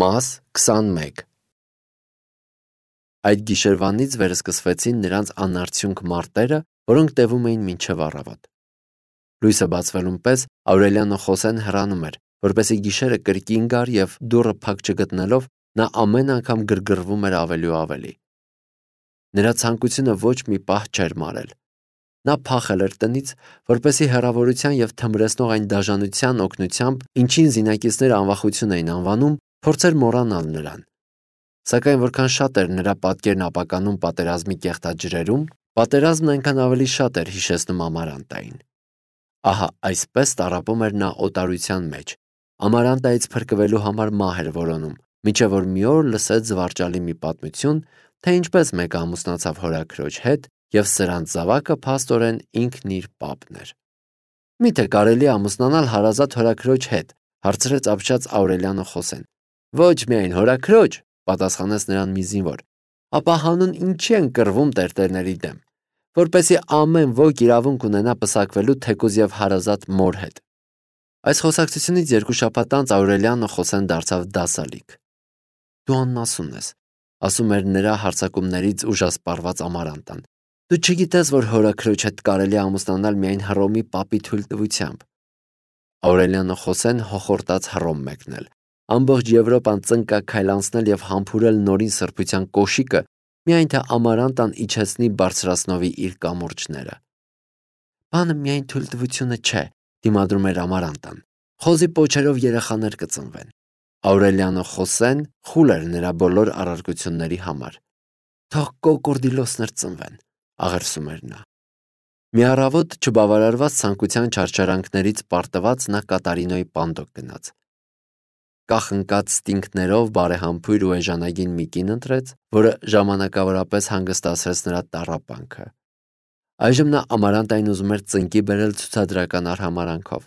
Մաս 21 Այդ գիշերվանից վերսկսվեցին նրանց անարդյունք մարտերը, որոնք տևում էին մինչև առավոտ։ Լույսը բացվելուն պես Աուրելիանո Խոսեն հեռանում էր, որպեսզի գիշերը կրկին գար և դուռը փակ չգտնելով նա ամեն անգամ գրգռվում էր ավելի ու ավելի։ Նրա ցանկությունը ոչ մի պահ չէր մարել։ Նա փախել էր տնից, որպեսզի հեռավորության և թմրեցնող այն դաժանության օգնությամբ, ինչին զինակիցները անվախություն էին անվանում, փորձեր մոռանալ նրան։ Սակայն որքան շատ էր նրա պատկերն ապականում պատերազմի կեղտաջրերում, պատերազմն այնքան ավելի շատ էր հիշեցնում Ամարանտային։ Ահա այսպես տառապում էր նա օտարության մեջ, Ամարանտայից փրկվելու համար մահ էր որոնում, մինչև որ մի օր լսեց զվարճալի մի պատմություն, թե ինչպես մեկը ամուսնացավ հորաքրոջ հետ, և սրանց զավակը փաստորեն ինքն իր պապն էր։ «Միթե կարելի է ամուսնանալ հարազատ հորաքրոջ հետ», հարցրեց ապշած Աուրելիանո Խոսեն։ «Ոչ միայն հորաքրոջ», պատասխանեց նրան մի զինվոր, «ապա հանուն ինչի են կռվում տերտերների դեմ, որպեսզի ամեն ոք իրավունք ունենա պսակվելու թեկուզ և հարազատ մոր հետ»։ Այս խոսակցությունից 2 շաբաթ անց Աուրելիանո Խոսեն դարձավ դասալիկ։ «Դու աննասուն ես», ասում էր նրա հարձակումներից ուժասպառված Ամարանտան։ «Դու չգիտես, որ հորաքրոջ հետ կարելի է ամուսնանալ միայն Հռոմի պապի թույլտվությամբ»։ Աուրելիանո Խոսեն հոխորտաց Հռոմ մեկնել, ամբողջ Եվրոպան ծնկաքայլ անցնել և համբուրել նորին սրբության կոշիկը, միայն թե Ամարանտան իջեցնի բարձրացնովի իր կամուրջները։ «Բանը միայն թույլտվությունը չէ», դիմադրում էր Ամարանտան։ «Խոզի պոչերով երեխաներ կծնվեն»։ Աուրելիանո Խոսեն խուլ էր նրա բոլոր առարկությունների համար։ «Թող կոկորդիլոսներ ծնվեն», աղերսում էր նա։ Մի առավոտ չբավարարված ցանկության չարչարանքներից պարտված նա Կատարինոյի պանդոկ գնաց։ Կախնկած ստինգներով բարեհամբույր ու էժանագին մի կին ընտրեց, որը ժամանակավորապես հանգստացրեց նրա տառապանքը։ Այժմ նա Ամարանտային ուզում էր ծնկի բերել ցուցադրական արհամարհանքով։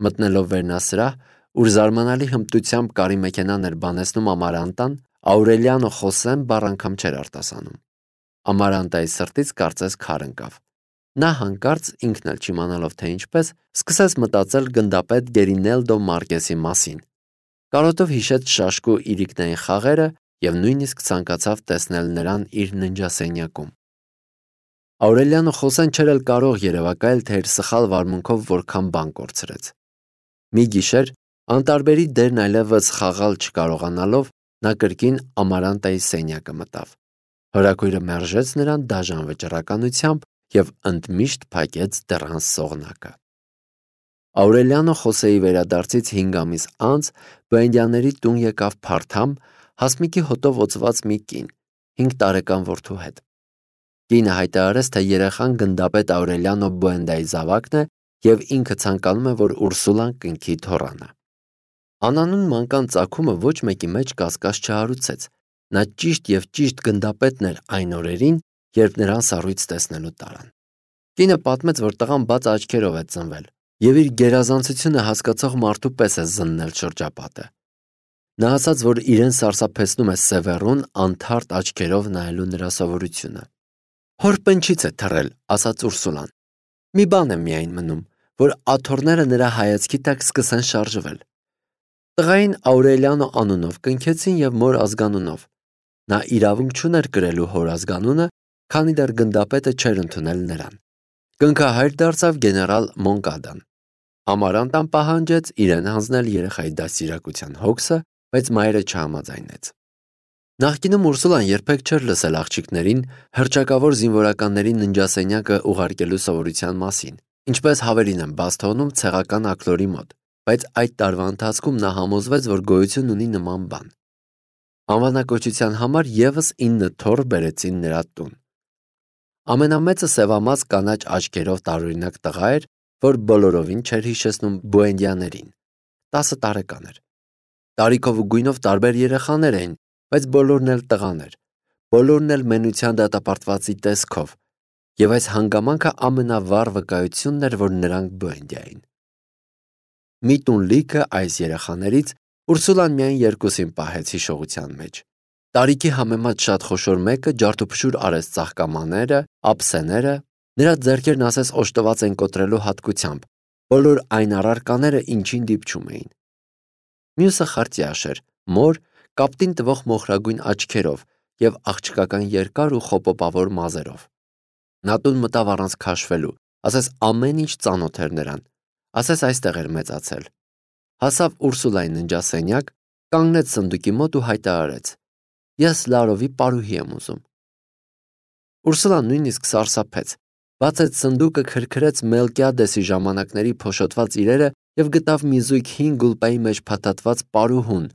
Մտնելով վերնասրահ, ուր զարմանալի հմտությամբ կարի մեքենան էր բանեցնում Ամարանտան, Աուրելիանո Խոսեն բառ անգամ չէր արտասանում։ Ամարանտայի սրտից կարծես քար ընկավ։ Նա հանկարծ, ինքն էլ չիմանալով թե ինչպես, սկսեց մտածել գնդապետ Գերինելդո Մարկեսի մասին։ Կարոտով հիշեց շաշկու իրիկնային խաղերը և նույնիսկ ցանկացավ տեսնել նրան իր ննջասենյակում։ Աուրելիանո Խոսեն չէր էլ կարող երևակայել, թե իր սխալ վարմունքով որքան բան կորցրեց։ Մի գիշեր, անտարբերի դերն այլևս խաղալ չկարողանալով, նա կրկին Ամարանտայի սենյակը մտավ։ Հորաքույրը մերժեց նրան դաժան վճռականությամբ և ընդմիշտ փակեց դռան սողնակը։ Աուրելիանո Խոսեի վերադարձից 5 ամիս անց Բոենդիաների տուն եկավ փարթամ, հասմիկի հոտով օծված մի կին, 5 տարեկան որդու հետ։ Կինը հայտարարեց, թե երեխան գնդապետ Աուրելիանո Բոենդայի զավակն է և ինքը ցանկանում է, որ Ուրսուլան կնքի թոռանը։ Անանուն մանկան ծագումը ոչ մեկի մեջ կասկած չհարուցեց։ Նա ճիշտ և ճիշտ գնդապետն էր այն օրերին, երբ նրան սառույց տեսնելու տարան։ Կինը պատմեց, որ տղան բաց աչքերով է ծնվել և իր գերազանցությունը հասկացող մարդու պես է զննել շրջապատը։ Նա ասաց, որ իրեն սարսափեցնում է Սևեռուն անթարթ աչքերով նայելու նրա սովորությունը։ «Հոր պնչից է թռել», ասաց Ուրսուլան։ «Մի բան է միայն մնում, որ աթոռները նրա հայացքի տակ սկսեն շարժվել»։ Տղային Աուրելիանո անունով կնքեցին և մոր ազգանունով։ Նա իրավունք չուներ կրելու հոր ազգանունը, քանի դեռ գնդապետը չէր ընդունել նրան։ Կնքահայր դարձավ գեներալ Մոնկադան։ Ամարանտան պահանջեց իրեն հանձնել երեխայի դաստիարակության հոգսը, բայց մայրը չհամաձայնեց։ Նախկինում Ուրսուլան երբեք չէր լսել աղջիկներին հռչակավոր զինվորականների ննջասենյակը ուղարկելու սովորության մասին, ինչպես հավերին են բաց թողնում ցեղական աքլորի մոտ, բայց այդ տարվա ընթացքում նա համոզվեց, որ գոյություն ունի նման բան։ Անվանակոչության համար ևս 9 թոռ բերեցին նրա տուն։ Ամենամեծը սևամած կանաչ աչքերով տարօրինակ տղա էր, որ բոլորովին չէր հիշեցնում Բոենդիաներին։ 10 տարեկան էր։ Տարիքով ու գույնով տարբեր երեխաներ էին, բայց բոլորն էլ տղաներ, բոլորն էլ մենության դատապարտվածի տեսքով, և այս հանգամանքը ամենավառ վկայությունն էր, որ նրանք Բոենդիա էին։ Մի տուն լիքը այս երեխաներից Ուրսուլան միայն 2-ին պահեց հիշողության մեջ։ Տարիքի համեմատ շատ խոշոր մեկը ջարդուփշուր արեց ծաղկամաները, ափսեները, նրա ձեռքերն ասես օժտված են կոտրելու հատկությամբ, բոլոր այն առարկաները, ինչին դիպչում էին։ Մյուսը խարտյաշ էր, մոր կապտին տվող մոխրագույն աչքերով և աղջկական երկար ու խոպոպավոր մազերով։ Նա տուն մտավ առանց քաշվելու, ասես ամեն ինչ ծանոթ էր նրան, ասես այստեղ էր մեծացել։ Հասավ Ուրսուլայի ննջասենյակ, կանգնեց սնդուկի մոտ ու հայտարարեց. «Ես Լարովի պարուհի եմ ուզում»։ Ուրսուլան նույնիսկ սարսափեց, բացեց սնդուկը, քրքրեց Մելկիադեսի ժամանակների փոշոտված իրերը և գտավ մի զույգ հին գուլպայի մեջ փաթաթված պարուհուն։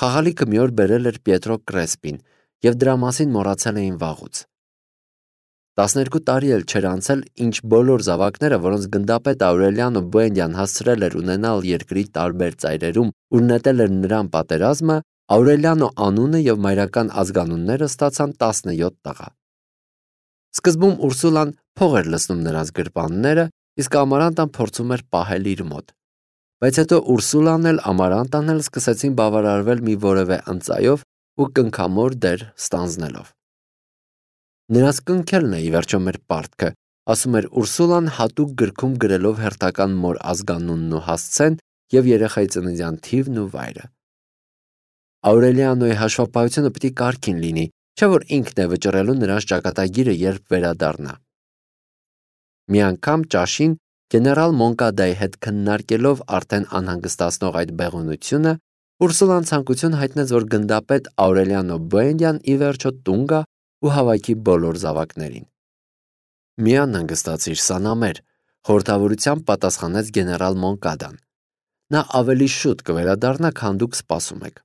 Խաղալիքը մի օր բերել էր Պիետրո Կրեսպին, և դրա մասին մոռացել էին վաղուց։ 12 տարի էլ չէր անցել, ինչ բոլոր զավակները, որոնց գնդապետ Աուրելիանո Բուենդիան հասցրել էր ունենալ երկրի տարբեր ծայրերում ու նետել էր նրան պատերազմը, Աուրելիանո անունը և մայրական ազգանունները ստացան 17 տղա։ Սկզբում Ուրսուլան փող էր լցնում նրանց գրպանները, իսկ Ամարանտան փորձում էր պահել իր մոտ։ Բայց հետո Ուրսուլան էլ Ամարանտան էլ սկսեցին բավարարվել մի որևէ ընծայով ու կնքամոր դեր ստանձնելով։ Նրանց կնքելն է ի վերջո մեր պարտքը, ասում էր Ուրսուլան հատուկ գրքում գրելով հերթական մոր ազգանունն ու հասցեն և երեխայի ծննդյան թիվն ու վայրը։ Աուրելիանոյի հաշվապահությունը պիտի կարգին լինի, չէ որ ինքն է վճռելու նրանց ճակատագիրը, երբ վերադառնա։ Մի անգամ ճաշին գեներալ Մոնկադայի հետ քննարկելով արդեն անհանգստացնող այդ բեղունությունը, Ուրսուլան ցանկություն հայտնեց, որ գնդապետ Աուրելիանո Բուենդիան ի վերջո տուն գա ու հավաքի բոլոր զավակներին։ Մի անհանգստացիր, Սանամեր, խորհրդավորությամբ պատասխանեց գեներալ Մոնկադան։ Նա ավելի շուտ կվերադառնա, քան դուք սպասում եք։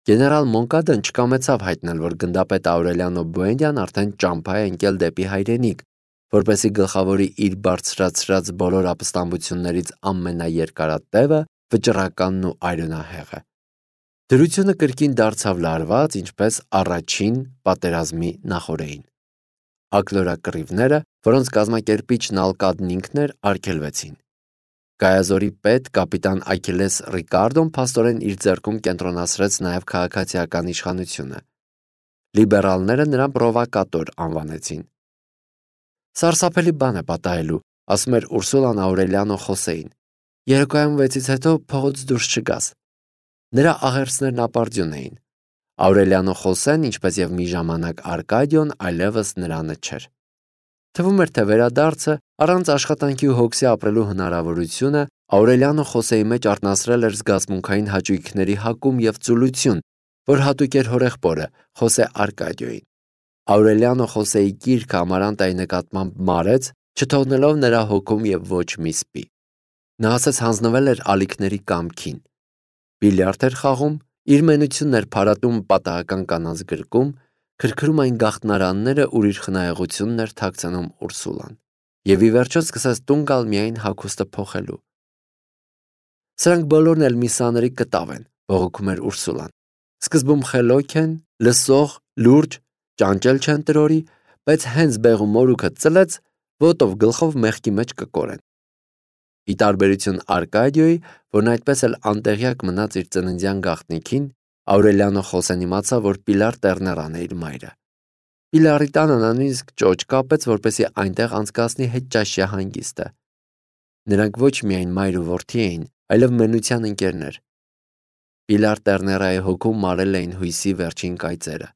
Գեներալ Մոնկադան չկամեցավ հայտնել, որ գնդապետ Աուրելիանո Բուենդիան արդեն ճամփա է ընկել դեպի հայրենիք, որպեսզի գլխավորի իր բարձրացրած բոլոր ապստամբություններից ամենաերկարատևը, վճռականն ու այրենահեղը։ Դրությունը կրկին դարձավ լարված, ինչպես առաջին պատերազմի նախօրեին։ Ակլորակռիվները, որոնց կազմակերպիչն Ալկադն ինքն էր, արգելվեցին։ Գայազորի պետ կապիտան Աքիլես Ռիկարդոն փաստորեն իր ձեռքում կենտրոնացրեց նաև քաղաքացիական իշխանությունը։ Լիբերալները նրան պրովոկատոր անվանեցին։ Սարսափելի բան է պատահելու, ասում էր Ուրսուլան Աուրելիանո Խոսեին։ Երեկոյան 6-ից հետո փողոց դուրս չգաս։ Նրա աղերսներն ապարդյուն էին։ Աուրելիանո Խոսեն, ինչպես եւ մի ժամանակ Արկադիոն, այլևս նրանը չէր։ Թվում էր, թե վերադարձը առանց աշխատանքի ու հոգսի ապրելու հնարավորությունը Աուրելիանո Խոսեի մեջ արտնասրել էր զգացմունքային հաճույքների հակում եւ ծուլություն, որ հատուկ էր հորեղբորը Խոսե Արկադիոյին։ Աուրելիանո Խոսեի գիրքը Ամարանտայի նկատմամբ մարեց, չթողնելով նրա հոգում եւ ոչ մի սպի։ Նա ասաց հանձնվել էր ալիքների կամքին։ Բիլիարդ էր խաղում, իր մենությունն էր փարատում պատահական կանանց գրկում, քրքրում այն գաղտնարանները, ուր իր խնայողությունն էր թաքցնում Ուրսուլան։ Եվ ի վերջո սկսեց տուն գալ միայն հագուստը փոխելու։ Սրանք բոլորն էլ մի սանրի կտավ են, բողոքում էր Ուրսուլան։ Սկզբում խելոք են, լսող, լուրջ, ճանճել չեն տրորի, բայց հենց բեղու մորուքը ծլեց, ոտով գլխով մեղքի մեջ կկորեն։ Ի տարբերություն Արկադիոյի, որն այդպես էլ անտեղյակ մնաց իր ծննդյան գաղտնիքին, Աուրելիանո Խոսեն իմացավ, որ Պիլար Տերներան է իր մայրը։ Պիլարի տանը նա նույնիսկ ճոճ կապեց, որպեսզի այնտեղ անցկացնի հետճաշյա հանգիստը։ Նրանք ոչ միայն մայր ու որդի էին, այլև մենության ընկերներ։ Պիլար Տերներայի հոգում մարել էին հույսի վերջին կայծերը։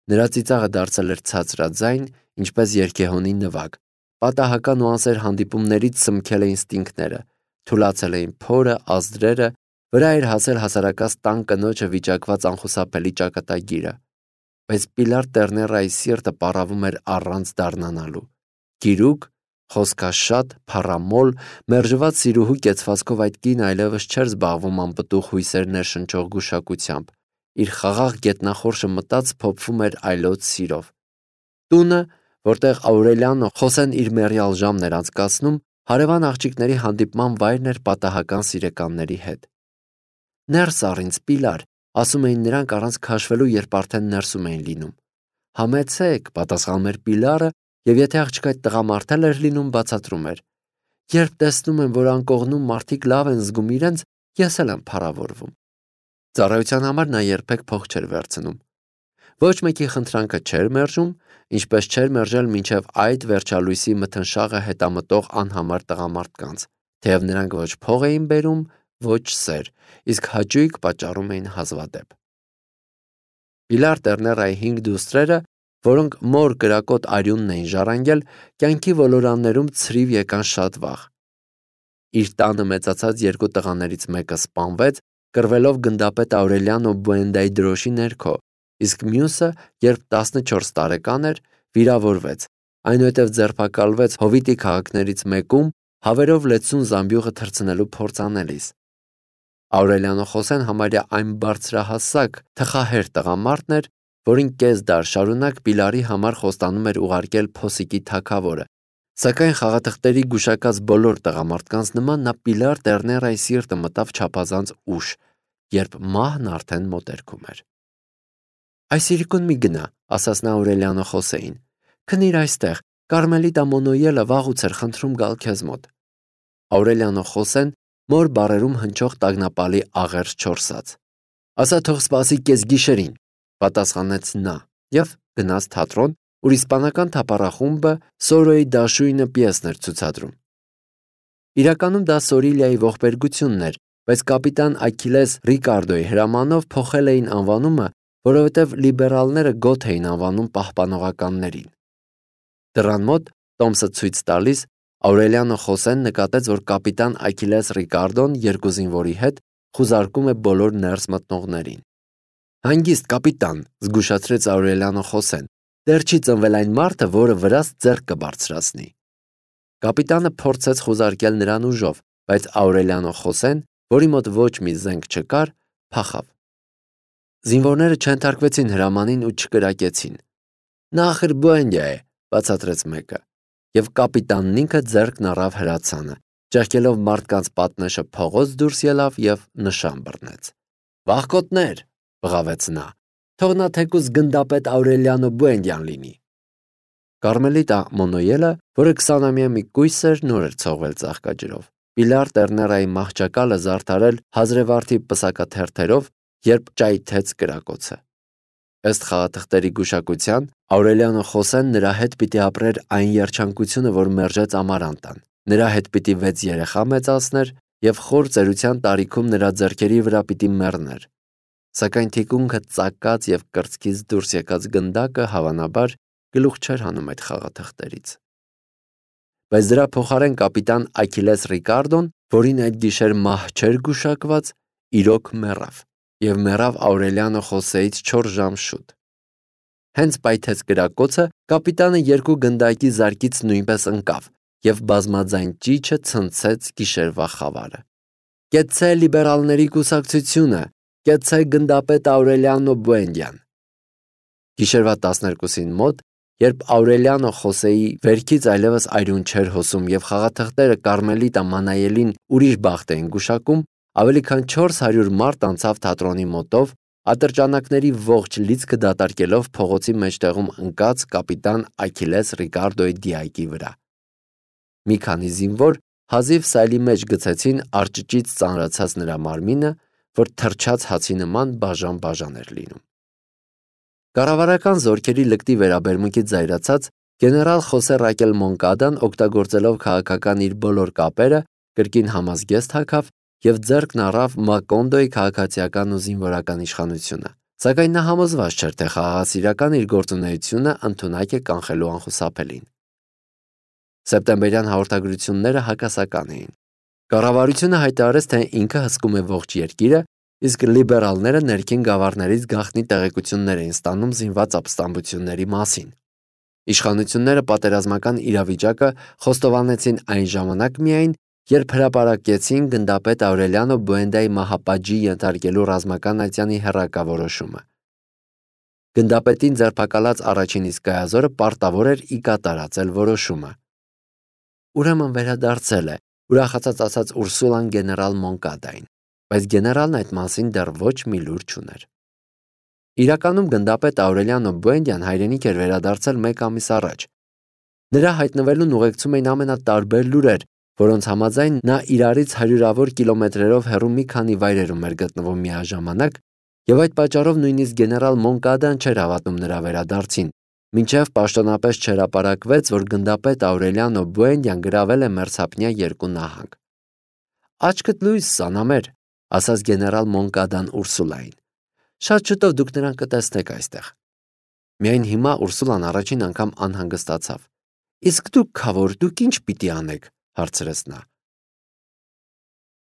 Նրա ծիծաղը դարձել էր ցածրաձայն, ինչպես երգեհոնի նվագ, պատահական ու անսեր հանդիպումներից սմքել էին ստինքները, թուլացել էին փորը, ազդրերը, վրա էր հասել հասարակած տան կնոջը վիճակված անխուսափելի ճակատագիրը, բայց Պիլար Տերներայի սիրտը պառավում էր առանց դառնանալու։ Գիրուկ, խոսքաշատ, փառամոլ, մերժված սիրուհու կեցվածքով այդ կինը այլևս չէր զբաղվում անպտուղ հույսեր ներշնչող գուշակությամբ, իր խաղաղ գետնախորշը մտած փոփվում էր այլոց սիրով։ Տունը, որտեղ Աուրելիանո Խոսեն իր մեռյալ ժամն էր անցկացնում, հարևան աղջիկների հանդիպման վայրն էր պատահական սիրեկանների հետ։ Ներս առ ինձ, Պիլար, ասում էին նրանք առանց քաշվելու, երբ արդեն ներսում էին լինում։ Համեցեք, պատասխանում էր Պիլարը, եւ եթե աղջկա տղամարդ էր լինում, բացատրում էր. երբ տեսնում եմ, որ անկողնում մարդիկ լավ են զգում իրենց, ես էլ եմ փառավորվում։ Ծառայության համար նա երբեք փող չէր վերցնում։ Ոչ մեկի խնդրանքը չէր մերժում, ինչպես չէր մերժել մինչև այդ վերջալույսի մթնշաղը հետամտող անհամար տղամարդկանց, թեև նրանք ոչ փող էին բերում, ոչ սեր, իսկ հաճույք պատճառում էին հազվադեպ։ Պիլար Տերներայի 5 դուստրերը, որոնք մոր կրակոտ արյունն էին ժառանգել, կյանքի ոլորաններում ցրիվ եկան շատ վաղ։ Իր տանը մեծացած երկու տղաներից մեկը սպանվեց, կռվելով գնդապետ Աուրելիանո Բուենդայի դրոշի ներքո, իսկ մյուսը, երբ 14 տարեկան էր, վիրավորվեց, այնուհետև ձերբակալվեց Հովիտի քաղաքներից մեկում, հավերով լեցուն զամբյուղը թռցնելու փորձ անելիս։ Աուրելիանո Խոսեն համարյա այն բարձրահասակ, թխահեր տղամարդն էր, որին կես դար շարունակ Պիլարի համար խոստանում էր ուղարկել Փոսիկի թագավորը, սակայն խաղաթղթերի գուշակած բոլոր տղամարդկանց նման նա Պիլար Տերներայի սիրտը մտավ չափազանց ուշ, երբ մահն արդեն մոտերքում էր։ «Այս իրիկուն մի գնա», ասաց նա Աուրելիանո Խոսեին, «քնիր այստեղ, Կարմելիտա Մոնոյելը վաղուց էր խնդրում գալ քեզ մոտ»։ Աուրելիանո Խոսեն մոր բարերում հնչող տագնապալի աղերս չորսաց։ «Ասա թող սպասի կեսգիշերին», պատասխանեց նա և գնաց թատրոն, ուր իսպանական թափառախումբը Սորոյի դաշույնը պիեսն էր ցուցադրում։ Իրականում դա Սորիլիայի ողբերգությունն էր, բայց կապիտան Աքիլես Ռիկարդոյի հրամանով փոխել էին անվանումը, որովհետև լիբերալները գոթ էին անվանում պահպանողականներին։ Դռան մոտ, տոմսը ցույց տալիս, Աուրելիանո Խոսեն նկատեց, որ կապիտան Աքիլես Ռիկարդոն երկու զինվորի հետ խուզարկում է բոլոր ներս մտնողներին։ «Հանգիստ, կապիտան», զգուշացրեց Աուրելիանո Խոսեն, «դեռ չի ծնվել այն մարդը, որը վրաս ձեռք կբարձրացնի»։ Կապիտանը փորձեց խուզարկել նրան ուժով, բայց Աուրելիանո Խոսեն, որի մոտ ոչ մի զենք չկար, փախավ։ Զինվորները չենթարկվեցին հրամանին ու չկրակեցին։ «Նա ախր Բուենդիա է», բացատրեց մեկը, և կապիտանն ինքը ձեռքն առավ հրացանը, ճեղքելով մարդկանց պատնեշը փողոց դուրս ելավ և նշան բռնեց։ «Վախկոտներ», բղավեց նա, «թող նա թեկուզ գնդապետ Աուրելիանո Բուենդիան լինի»։ Կարմելիտա Մոնոյելը, որը 20-ամյա մի կույս էր, նոր էր ցողվել ծաղկաջրով։ Պիլար Տերներայի մահճակալը զարդարել հազրեվարդի պսակաթերթերով, երբ ճայթեց կրակոցը։ Ըստ խաղաթղթերի գուշակության, Աուրելիանո Խոսեն նրա հետ պիտի ապրեր այն երջանկությունը, որ մերժեց Ամարանտան։ Նրա հետ պիտի 6 երեխա մեծացներ և խոր ծերության տարիքում նրա ձեռքերի վրա պիտի մեռներ։ Սակայն թիկունքը ծակած և կրծքից դուրս եկած գնդակը, հավանաբար, գլուխ չէր հանում այդ խաղաթղթերից։ Բայց դրա փոխարեն կապիտան Աքիլես Ռիկարդոն, որին այդ գիշեր մահ չէր գուշակված, իրոք մեռավ, և մեռավ Աուրելիանո Խոսեից 4 ժամ շուտ։ Հենց պայթեց կրակոցը, կապիտանը երկու գնդակի զարկից նույնպես ընկավ, և բազմաձայն ճիչը ցնցեց գիշերվա խավարը։ «Կեցցե լիբերալների կուսակցությունը, կեցցե գնդապետ Աուրելիանո Բուենդիան»։ Գիշերվա 12-ին մոտ, երբ Աուրելիանո Խոսեի վերքից այլևս արյուն չէր հոսում և խաղաթղթերը Կարմելիտա Մանայելին ուրիշ բախտ էին գուշակում, ավելի քան 400 մարդ անցավ թատրոնի մոտով, ատրճանակների ողջ լիցքը դատարկելով փողոցի մեջտեղում ընկած կապիտան Աքիլես Ռիկարդոյի դիակի վրա։ Մի քանի զինվոր հազիվ սայլի մեջ գցեցին արճճից ծանրացած նրա մարմինը, որ թրջած հացի նման բաժան-բաժան էր լինում։ Կառավարական զորքերի լկտի վերաբերմունքից զայրացած գեներալ Խոսե Ռակել Մոնկադան, օգտագործելով քաղաքական իր բոլոր կապերը, կրկին համազգեստ հագավ և ձեռքն առավ Մակոնդոյի քաղաքացիական ու զինվորական իշխանությունը, սակայն նա համոզված չէր, թե խաղաղասիրական իր գործունեությունը ընդունակ է կանխելու անխուսափելին։ Սեպտեմբերյան հաղորդագրությունները հակասական էին։ Կառավարությունը հայտարարեց, թե ինքը հսկում է ողջ երկիրը, իսկ լիբերալները ներքին գավառներից գաղտնի տեղեկություններ էին ստանում զինված ապստամբությունների մասին։ Իշխանությունները պատերազմական իրավիճակը խոստովանեցին այն ժամանակ միայն, երբ հրապարակեցին գնդապետ Աուրելիանո Բուենդայի մահապատժի ենթարկելու ռազմական ատյանի հեռակա որոշումը։ Գնդապետին ձերբակալած առաջին իսկ գայազորը պարտավոր էր ի կատարածել որոշումը։ Ուրեմն վերադարձել է, ուրախացած ասաց Ուրսուլան գեներալ Մոնկադային, բայց գեներալն այդ մասին դեռ ոչ մի լուր չուներ։ Իրականում գնդապետ Աուրելիանո Բուենդիան հայրենիք էր վերադարձել 1 ամիս առաջ։ Նրա հայտնվելուն ուղեկցում էին ամենատարբեր լուրեր, որոնց համաձայն նա իրարից հարյուրավոր կիլոմետրերով հեռու մի քանի վայրերում էր գտնվում միաժամանակ, և այդ պատճառով նույնիսկ գեներալ Մոնկադան չէր հավատում նրա վերադարձին, մինչև պաշտոնապես չհրապարակվեց, որ գնդապետ Աուրելիանո Բուենդիան գրավել է մերձափնյա 2 նահանգ։ Աչքդ լույս, Սանամեր, ասաց գեներալ Մոնկադան Ուրսուլային։ Շատ շուտով դուք նրան կտեսնեք այստեղ։ Միայն հիմա Ուրսուլան առաջին անգամ անհանգստացավ։ Իսկ դուք, քավոր, դուք ինչ պիտի անեք, հարցրեց նա։